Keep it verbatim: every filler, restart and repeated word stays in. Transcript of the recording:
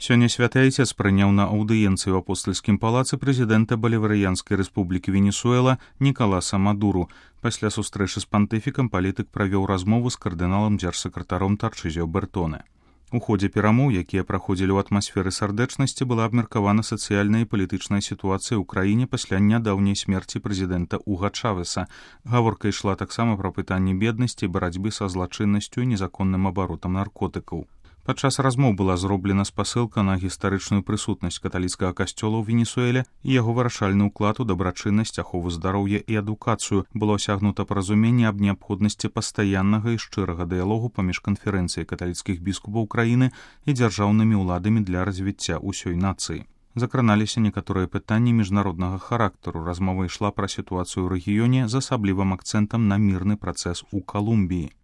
Сёння святы айцец прыняў на аўдыенцыі ў апостальскім палацы прэзідэнта Баліварыянскай рэспублікі Венесуэла Нікаласа Мадуру. Пасля сустрэчы з пантыфікам палітык правёў размову з кардыналам дзяржсакратаром Тарчызіо Бертоне. У ходзе перамоў, якія праходзілі ў атмасферы сардэчнасці, была абмеркавана сацыяльная і палітычная сітуацыя ў краіне пасля нядаўняй смерці прэзідэнта Уга Чавеса. Гаворка ішла таксама пра пытанні беднасці, барацьбы са злачыннасцю і незаконным абаротам наркотыкаў. Падчас размоў была зроблена спасылка на гістарычную прысутнасць каталіцкага касцёла ў Венесуэле і яго вырашальны ўклад у дабрачыннасць, ахову здароўя і адукацыю. Было асягнута паразуменне аб неабходнасці пастаяннага і шчырага дыялогу паміж канферэнцыяй каталіцкіх біскупаў краіны і дзяржаўнымі ўладамі для развіцця ўсёй нацыі. Закраналіся некаторыя пытанні міжнароднага характару. Размова ішла пра сітуацыю ў рэгіёне з асаблівым акцэнтам на мірны працэс у Калумбіі.